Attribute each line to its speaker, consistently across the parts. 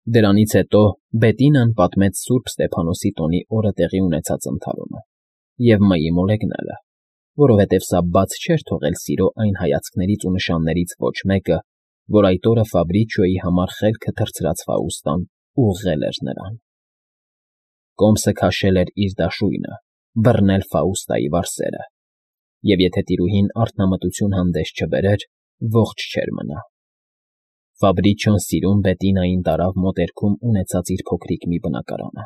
Speaker 1: Դրանից հետո Բետինան պատմեց սուրբ Ստեփանոսի տոնի օրը տեղի ունեցած ընդհարումը և մայի մոլեգնելը, որովհետև սա բաց չէր թողել սիրո այն հայացքներից ու նշաններից ոչ մեկը, որ այդ օրը Ֆաբրիչիոյի համար խելքը թռցրած Ֆաուստան ուղղել էր նրան։ Կոմսը քաշել էր իր դաշույնը, բռնել Ֆաուստայի վարսերը, և եթե տիրուհին արթնամտություն հանդես չբերեր, ողջ չէր մնա։ Ֆաբրիչիոն սիրուն Բետինային տարավ մոտերքում ունեցած իր փոքրիկ մի բնակարանը։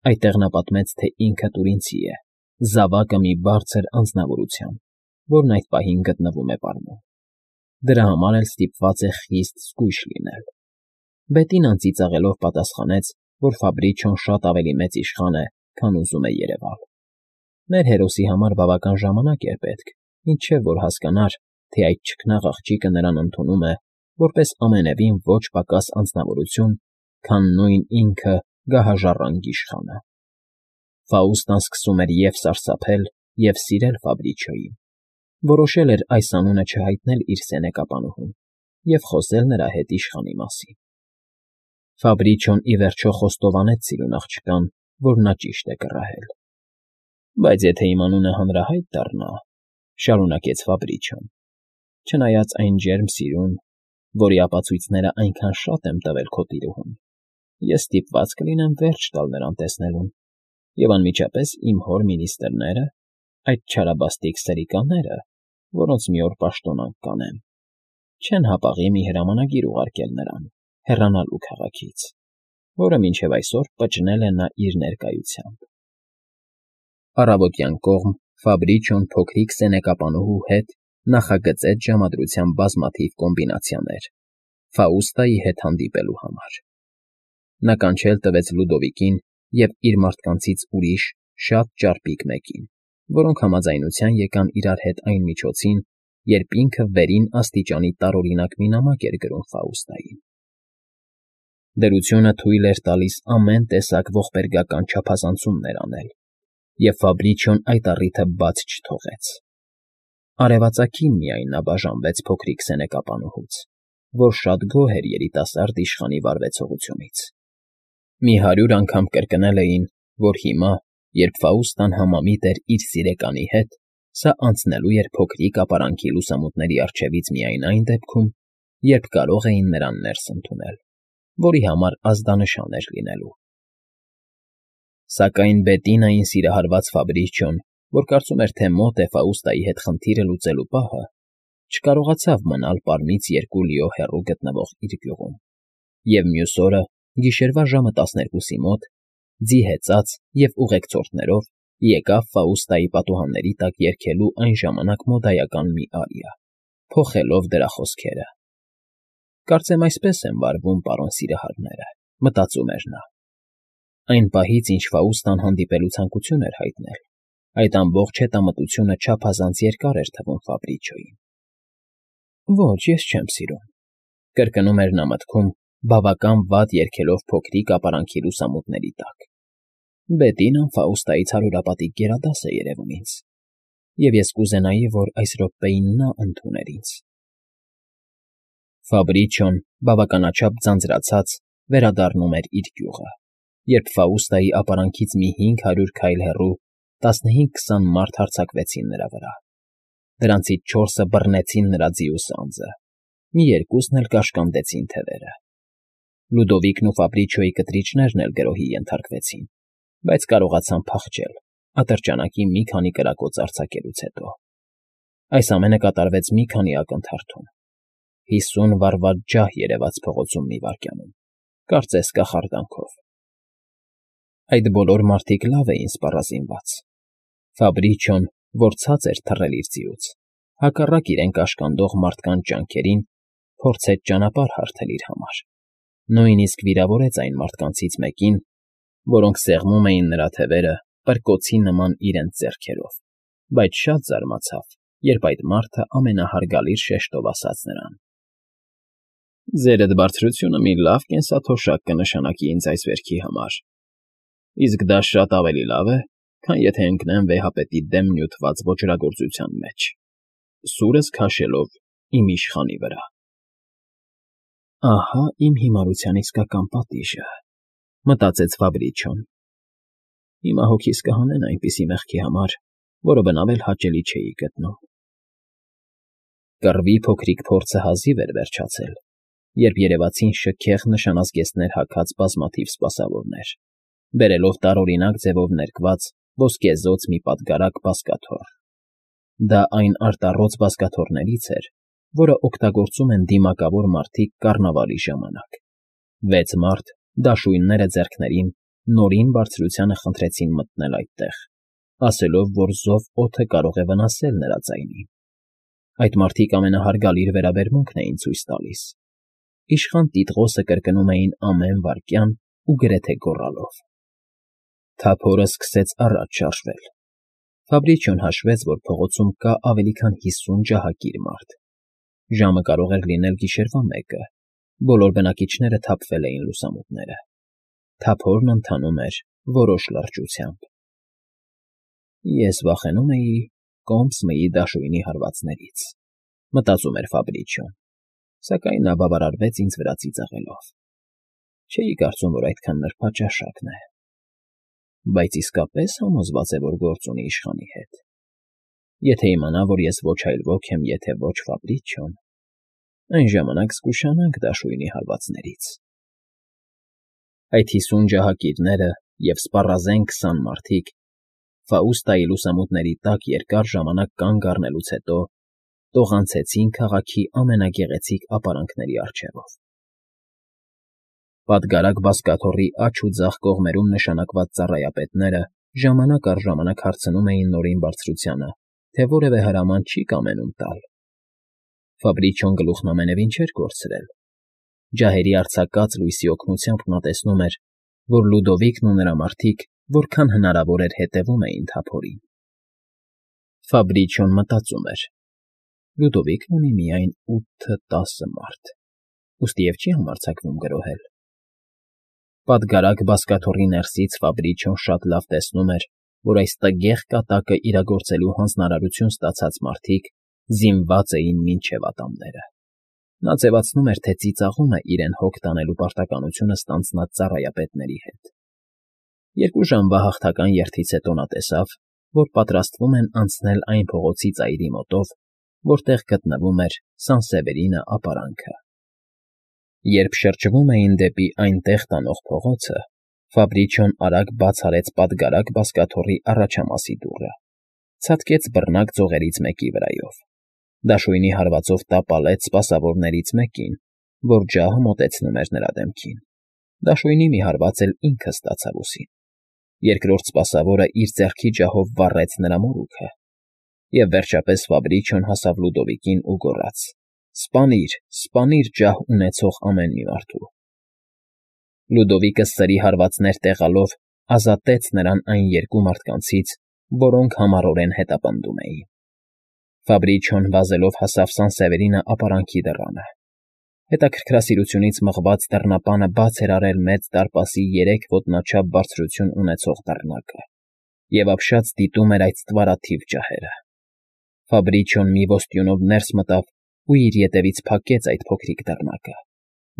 Speaker 1: Այդտեղ նա պատմեց, թե ինքը տուրինցի է, զավակը մի բարձր անձնավորության, որն այդ պահին գտնվում է պարմում։ Դրա համար էլ ստիպված է խիստ զգույշ լինել։ Բետինան ծիծաղելով պատասխանեց, որ Ֆաբրիչիոն շատ ավելի մեծ իշխան է, քան ուզում է երևալ։ Մեր հերոսի համար բավական ժամանակ էր պետք, մինչև որ հասկանար, թե այդ չքնաղ աղջիկը նրան ընդունում է որպես ամենևին ոչ պակաս անձնավորություն, քան նույն ինքը գահաժառանգ իշխանը։ Ֆաուստան սկսում էր և՛ սարսափել, և՛ սիրել Ֆաբրիչիոյին, որոշել էր այս անունը չհայտնել իր սենեկապանուհուն և խոսել նրա հետ իշխանի մասին։ Ֆաբրիչիոն ի վերջո խոստովանեց սիրուն աղջկան, որ նա ճիշտ է կռահել։ Բայց եթե իմ անունը հանրահայտ դառնա, շարունակեց Ֆաբրիչիոն, չնայած այն ջերմ սիրուն, որի ապացույցներն այնքան շատ եմ տվել քո տիրուհուն, ես ստիպված կլինեմ վերջ տալ նրան տեսնելուն, և անմիջապես իմ հոր մինիստրները, այդ չարաբաստիկ սրիկաները, որոնց մի օր պաշտոնանկ կանեմ, չեն հապաղի մի հրամանագիր ուղարկել նրան հեռանալու քաղաքից, որը մինչև այսօր պճնել է նա իր ներկայությամբ։ Առավոտյան կողմ Ֆաբրիչիոն փոքրիկ սենեկապանուհու հետ նախագծեց ժամադրության բազմաթիվ կոմբինացիաներ Ֆաուստայի հետ հանդիպելու համար։ Նա կանչել տվեց Լյուդովիկին և իր մարդկանցից ուրիշ շատ ճարպիկ մեկին, որոնք համաձայնության եկան իրար հետ այն միջոցին, երբ ինքը վերին աստիճանի տարօրինակ մի նամակ էր գրում Ֆաուստային։ Դրությունը թույլ էր տալիս ամեն տեսակ ողբերգական չափազանցումներ անել, և Ֆաբրիչիոն այդ առիթը բաց չթողեց։ Արևածագին միայն նա բաժանվեց փոքրիկ սենեկապանուհուց, որ շատ գոհ էր երիտասարդ իշխանի վարվեցողությունից։ Մի 100 անգամ կրկնել էին, որ հիմա, երբ Ֆաուստան համամիտ էր իր սիրեկանի հետ, սա անցնելու էր փոքրիկ ապարանքի լուսամուտների առջևից միայն այն դեպքում, երբ կարող էին նրան ներս ընդունել, որի համար ազդանշան էր լինելու։ Սակայն Բետինային սիրահարված Ֆաբրիչիոն, որ կարծում էր, թե մոտ է Ֆաուստայի հետ խնդիրը լուծելու պահը, չկարողացավ մնալ պարմից 2 լիո հեռու գտնվող իր գյուղում, և մյուս օրը, գիշերվա ժամը 12-ի մոտ, ձի հեծած և ուղեկցորդներով եկավ Ֆաուստայի պատուհանների տակ երգելու այն ժամանակ մոդայական մի արիա, փոխելով դրա խոսքերը։ «Կարծեմ այսպես են վարվում պարոն սիրահարները», մտածում էր նա։ Այն պահից, ինչ Ֆաուստան հանդիպելու ցանկություն էր հայտնել, այդ ամբողջ հետամտությունը չափազանց երկար էր թվում Ֆաբրիչիոյին։ «Ոչ, ես չեմ սիրում», կրկնում էր նա մտքում, բավական վատ երգելով փոքրիկ ապարանքի լուսամուտների տակ։ «Բետինան Ֆաուստայից հարյուրապատիկ գերադաս է երևում ինձ, և ես կուզենայի, որ այս րոպեին նա ընդուներ ինձ»։ Ֆաբրիչիոն, բավականաչափ ձանձրացած, վերադառնում էր իր գյուղը, երբ Ֆաուստայի ապարանքից մի 500 քայլ հեռու 15-20 մարդ հարձակվեցին նրա վրա։ Դրանցից 4-ը բռնեցին նրա ձիու սանձը, մի երկուսն էլ կաշկանդեցին թևերը։ Լյուդովիկն ու Ֆաբրիչիոյի կտրիչներն էլ գրոհի ենթարկվեցին, բայց կարողացան փախչել ատրճանակի մի քանի կրակոց արձակելուց հետո։ Այս ամենը կատարվեց մի քանի ակնթարթում։ 50 վառված ջահ երևաց փողոցում մի վայրկյանում, կարծես կախարդանքով։ Այդ բոլոր մարդիկ լավ էին սպառազինված։ Ֆաբրիչիոն, որ ցած էր թռել իր ձիուց, հակառակ իրեն կաշկանդող մարդկանց ջանքերին, փորձեց ճանապարհ հարթել իր համար, նույնիսկ վիրավորեց այն մարդկանցից մեկին, որոնք սեղմում էին նրա թևերը պրկոցի նման իրենց ձեռքերով, բայց շատ զարմացավ, երբ այդ մարդը ամենահարգալից շեշտով ասաց նրան. «Ձերդ բարձրությունը մի լավ կենսաթոշակ կնշանակի ինձ այս վերքի համար, իսկ դա շատ ավելի լավ է, քան եթե ընկնեմ վեհապետի դեմ նյութված ոճրագործության մեջ, սուրս քաշելով իմ իշխանի վրա»։ Ահա իմ հիմարության իսկական պատիժը, մտածեց Ֆաբրիչոն։ Հիմա հոգիս կհանեն այնպիսի մեղքի համար, որը բնավ էլ հաճելի չէի գտնում։ Կռվի փոքրիկ փորձը հազիվ էր վերջացել, երբ երևացին շքեղ նշանազգեստներ հագած բազմաթիվ սպասավորներ, բերելով տարօրինակ ձևով ներկված ոսկեզօծ մի պատգարակ բազկաթոռ։ Դա այն արտառոց բազկաթոռներից էր, որը օգտագործում են դիմակավոր մարդիկ կառնավալի ժամանակ։ 6 մարդ, դաշույնները ձեռքներին, նորին բարձրությանը խնդրեցին մտնել այդտեղ, ասելով, որ զով օդը կարող է վնասել նրա ձայնին։ Այդ մարդիկ ամենահարգալի վերաբերմունքն էին ցույց տալիս։ Իշխան տիտղոսը կրկնում էին ամեն վայրկյան ու գրեթե գոռալով։ Թափորը սկսեց առաջ շարժվել։ Ֆաբրիչիոն հաշվեց, որ փողոցում կա ավելի քան 50 ջահակիր մարդ։ Ժամը կարող էր լինել գիշերվա 1-ը, բոլոր բնակիչները թափվել էին լուսամուտները։ Թափորն ընթանում էր որոշ լրջությամբ։ Ես վախենում էի կոմս մըի դաշույնի հարվածներից, մտածում էր Ֆաբրիչիոն, սակայն նա բավարարվեց ինձ վրա ծիծաղելով։ Չէի կարծում, որ այդքան նրբաճաշակն է, բայց իսկապես համոզված է, որ գործ ունի իշխանի հետ։ Եթե իմանա, որ ես ոչ այլ ոք եմ, եթե ոչ Ֆաբրիչիոն, այն ժամանակ զգուշանանք դաշույնի հարվածներից։ Այդ 50 ջահակիրները և սպառազեն 20 մարդիկ Ֆաուստայի լուսամուտների տակ երկար ժամանակ կանգ առնելուց հետո տողանցեցին քաղաքի ամենագեղեցիկ ապարանքների առջևով։ Պատգարակ բազկաթոռի աջ ու ձախ կողմերում նշանակված ծառայապետները ժամանակ առ ժամանակ հարցնում էին Նորին բարձրությանը, թե որևէ հրաման չի կամենում տալ։ Ֆաբրիչիոն գլուխն ամենևին չէր կորցրել։ Ջահերի արձակած լույսի օգնությամբ նա տեսնում էր, որ Լյուդովիկն ու նրա մարդիկ որքան հնարավոր էր հետևում էին թափորին։ Ֆաբրիչիոն մտածում էր. Լյուդովիկն ունի միայն 8-10 մարդ, ուստի չի համարձակվում գրոհել։ Պատգարակ բազկաթոռի ներսից Ֆաբրիչիոն շատ լավ տեսնում էր, որ այս տգեղ կատակը իրագործելու հանձնարարություն ստացած մարդիկ զինված էին մինչև ատամները։ Նա ձևացնում էր, թե ծիծաղում է իրեն հոգ տանելու պարտականությունը ստանձնած ծառայապետների հետ։ 2 ժամվա հաղթական երթից հետո նա տեսավ, որ պատրաստվում են անցնել այն փողոցի ծայրի մոտով, որտեղ գտնվում էր Սանսևերինը ապարանքը։ Երբ շրջվում էին դեպի այնտեղ տանող փողոցը, Ֆաբրիչիոն արագ բաց արեց պատգարակ բազկաթոռի առաջամասի դուռը, ցատկեց բռնակ ձողերից մեկի վրայով, դաշույնի հարվածով տապալեց սպասավորներից մեկին, որ ջահը մոտեցնում էր նրա դեմքին։ Դաշույնի մի հարված էլ ինքը ստացավ ուսին։ Երկրորդ սպասավորը իր ձեռքի ջահով վառեց նրա մորուքը, և վերջապես Ֆաբրիչիոն հասավ Լյուդովիկին ու գոռաց. «Սպանիր, սպանիր ջահ ունեցող ամեն մի մարդու»։ Լյուդովիկը սրի հարվածներ տեղալով ազատեց նրան այն 2 մարդկանցից, որոնք համառորեն հետապնդում էին։ Ֆաբրիչիոն վազելով հասավ Սանսևերինը ապարանքի դռանը։ Հետաքրքրասիրությունից մղված դռնապանը բաց էր արել մեծ դարպասի 3 ոտնաչափ բարձրություն ունեցող դռնակը և ապշած դիտում էր այդ ստվարաթիվ ջահերը։ Ֆաբրիչիոն մի ոստյունով ներս մտավ ու իր ետևից փակեց այդ փոքրիկ դռնակը,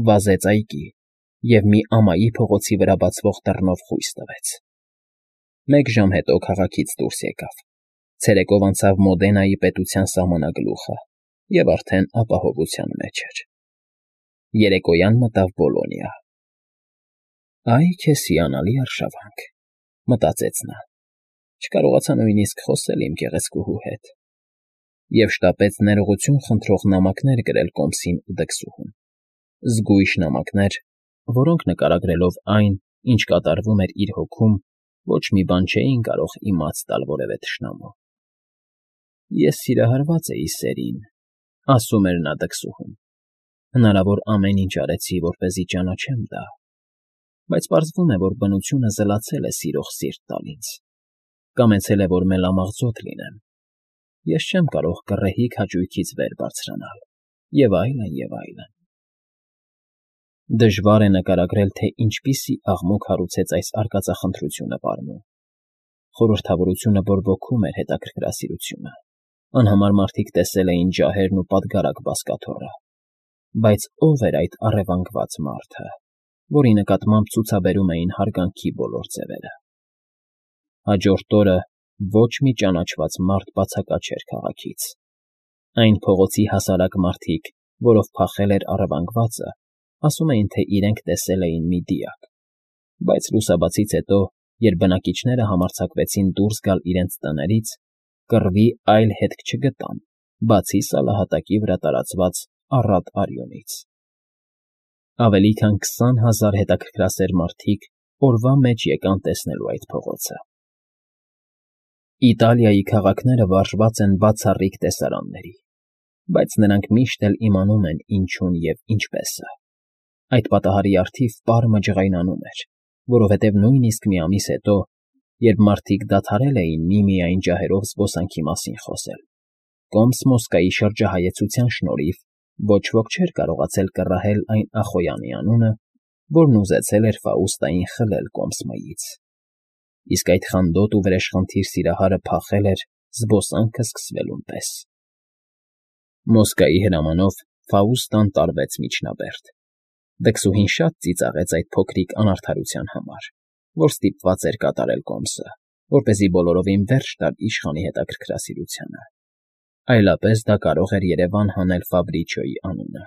Speaker 1: վազեց այգի և մի ամայի փողոցի վրա բացվող դռնով խույս տվեց։ 1 ժամ հետո քաղաքից դուրս եկավ, ցերեկով անցավ Մոդենայի պետության սահմանագլուխը և արդեն ապահովության մեջ էր։ Երեկոյան մտավ Բոլոնիա։ «Այ քեզ հիանալի արշավանք», մտածեց նա, չկարողացա նույնիսկ խոսել իմ գեղեցկուհու հետ, և շտապեց ներողություն խնդրող նամակներ գրել կոմսին ու դքսուհուն։ Զգույշ նամակներ, որոնք նկարագրելով այն, ինչ կատարվում էր իր հոգում, ոչ մի բան չէին կարող իմաց տալ որևէ թշնամու։ «Ես սիրահարված էի Սերին», ասում էր նա դքսուհուն։ «Հնարավոր ամեն ինչ արեցի, որպեսզի ճանաչեմ դա, բայց պարզվում է, որ բնությունը զլացել է սիրող սիրտ տալ ինձ, կամեցել է, որ մելամաղձոտ լինեմ։ Ես չեմ կարող գռեհիկ հաճույքից վեր բարձրանալ» և այլն, և այլն։ Դժվար է նկարագրել, թե ինչպիսի աղմուկ հարուցեց այս արկածախնդրությունը պարնում։ Խորհրդավորությունը բորբոքում էր հետաքրքրասիրությունը։ Անհամար մարդիկ տեսել էին ջահերն ու պատգարակ բազկաթոռը։ Բայց ո՞վ էր այդ առևանգված մարդը, որի նկատմամբ ցուցաբերում էին հարգանքի բոլոր ձևերը։ Հաջորդ օրը ոչ մի ճանաչված մարդ բացակաչեր քաղաքից։ Այն փողոցի հասարակ մարդիկ, որով փախել էր առևանգվածը, ասում էին, թե իրենք տեսել էին մի դիակ, բայց լուսաբացից հետո, երբ բնակիչները համարձակվեցին դուրս գալ իրենց տներից, կռվի այլ հետք չգտան, բացի սալահատակի վրա տարածված առատ արյունից։ Ավելի քան 20,000 հետաքրքրասեր մարդիկ օրվա մեջ եկան տեսնելու այդ փողոցը։ Իտալիայի քաղաքները վարժված են բացառիկ տեսարանների, բայց նրանք միշտ էլ իմանում են ինչուն և ինչպես է։ Այդ պատահարի առթիվ պարմը ջղայնանում էր, որովհետև նույնիսկ մի ամիս հետո, երբ մարդիկ դադարել էին միմիայն ջահերով զբոսանքի մասին խոսել, կոմս Մոսկվայի շրջահայեցության շնորհիվ ոչ ոք չէր կարողացել կռահել այն Ախոյանի անունը, որն ուզեցել էր Ֆաուստային խլել Կոմս Մ֊ից։ Իսկ այդ խանդոտ ու վրեժխնդիր սիրահարը փախել էր զբոսանքը սկսվելուն պես։ Մոսկվայի հրամանով Ֆաուստան տարվեց միջնաբերդ։ Դքսուհին շատ ծիծաղեց այդ փոքրիկ անարդարության համար, որ ստիպված էր կատարել Կոմսը, որպեսզի բոլորովին վերջ տար իշխանի հետաքրքրասիրությանը։ Այլապես դա կարող էր երևան հանել Ֆաբրիչոյի անունը։